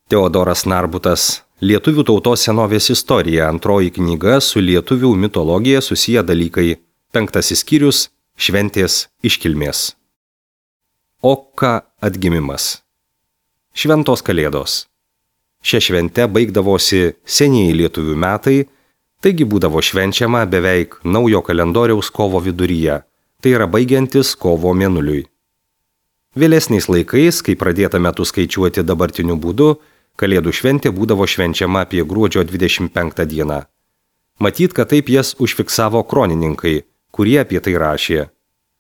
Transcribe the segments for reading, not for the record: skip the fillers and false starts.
Teodoras Narbutas, Lietuvių tautos senovės istorija, 2 knyga su lietuvių mitologija susiję dalykai, 5 skyrius – šventės iškilmės. Oka atgimimas. Šventos kalėdos. Šia švente baigdavosi senieji lietuvių metai, taigi būdavo švenčiama beveik naujo kalendoriaus kovo viduryje, tai yra baigiantis kovo mėnuliui. Vėlesniais laikais, kai pradėta metų skaičiuoti dabartiniu būdu, Kalėdų šventė būdavo švenčiama apie gruodžio 25 dieną. Matyt, kad taip jas užfiksavo kronininkai, kurie apie tai rašė.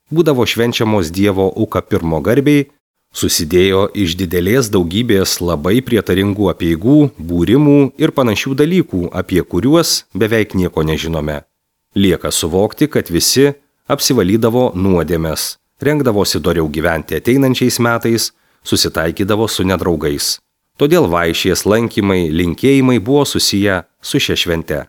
Būdavo švenčiamos Dievo Uka I garbei, susidėjo iš didelės daugybės labai prietaringų apeigų, būrimų ir panašių dalykų, apie kuriuos beveik nieko nežinome. Lieka suvokti, kad visi apsivalydavo nuodėmes, rengdavosi doriau gyventi ateinančiais metais, susitaikydavo su nedraugais. Todėl vaišės, lankymai, linkėjimai buvo susiję su šia švente.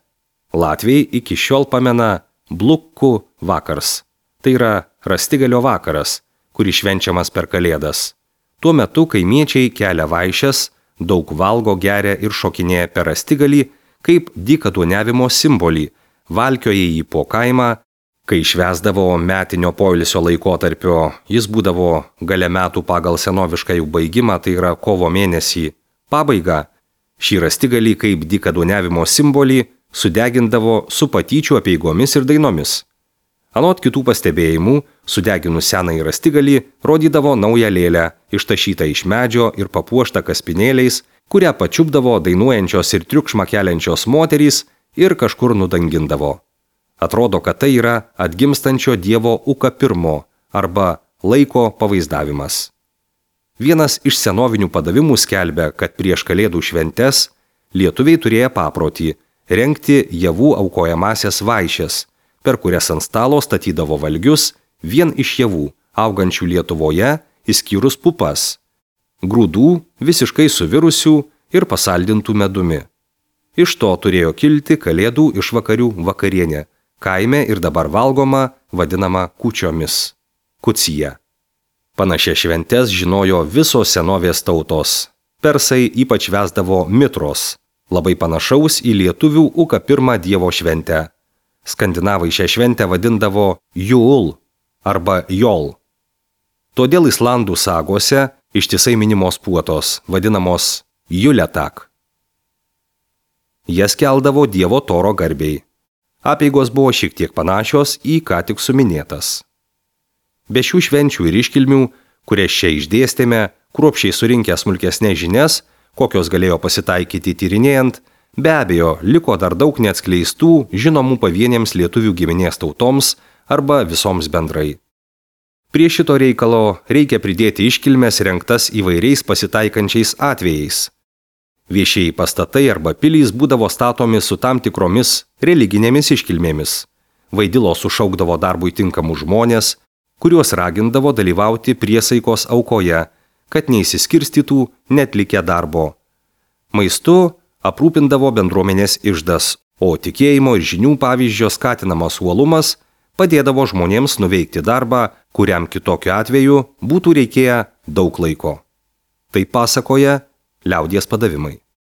Latviai iki šiol pamena Blukku vakars. Tai yra rastigalio vakaras, kuris švenčiamas per Kalėdas. Tuo metu kaimiečiai kelia vaišes, daug valgo, geria ir šokinėja per rastigalį, kaip dykaduoniavimo simbolį, valkioja jį po kaimą. Kai švęsdavo metinio poilsio laikotarpio, jis būdavo gale metų pagal senovišką jų baigimą, tai yra kovo mėnesį, pabaigą. Šį rastigalį kaip dykaduoniavimo simbolį sudegindavo su patyčių apeigomis ir dainomis. Anot kitų pastebėjimų, sudeginus senąjį rastigalį rodydavo naują lėlę, ištašytą iš medžio ir papuoštą kaspinėliais, kurią pačiupdavo dainuojančios ir triukšmą keliančios moterys ir kažkur nudangindavo. Atrodo, kad tai yra atgimstančio Dievo Uka I arba laiko pavaizdavimas. Vienas iš senovinių padavimų skelbia, kad prieš Kalėdų šventes lietuviai turėjo paprotį rengti javų aukojamasias vaišes, per kurias ant stalo statydavo valgius vien iš javų, augančių Lietuvoje, išskyrus pupas, grūdų visiškai suvirusių ir pasaldintų medumi. Iš to turėjo kilti Kalėdų išvakarių vakarienė, kaime ir dabar valgoma, vadinama kūčiomis. Kucija. Panašias šventes žinojo visos senovės tautos. Persai ypač vesdavo mitros, labai panašaus į lietuvių Uka I Dievo šventę. Skandinavai šią šventę vadindavo Jul arba Jol. Todėl Islandų sagose ištisai minimos puotos, vadinamos Juletak. Jas keldavo Dievo Toro garbei. Apeigos buvo šiek tiek panašios į ką tik suminėtas. Be šių švenčių ir iškilmių, kurias čia išdėstėme, kruopščiai surinkę smulkesnės žinias, kokios galėjo pasitaikyti tyrinėjant, be abejo, liko dar daug neatskleistų, žinomų pavienėms lietuvių giminės tautoms arba visoms bendrai. Prie šito reikalo reikia pridėti iškilmes rengtas įvairiais pasitaikančiais atvejais. Viešieji pastatai arba pilys būdavo statomi su tam tikromis religinėmis iškilmėmis. Vaidilos sušaukdavo darbui tinkamus žmonės, kuriuos ragindavo dalyvauti priesaikos aukoje, kad neįsiskirstytų netlikę darbo. Maistu aprūpindavo bendruomenės iždas, o tikėjimo ir žinių pavyzdžio skatinamas uolumas padėdavo žmonėms nuveikti darbą, kuriam kitokiu atveju būtų reikėję daug laiko. Tai pasakoja liaudies padavimai.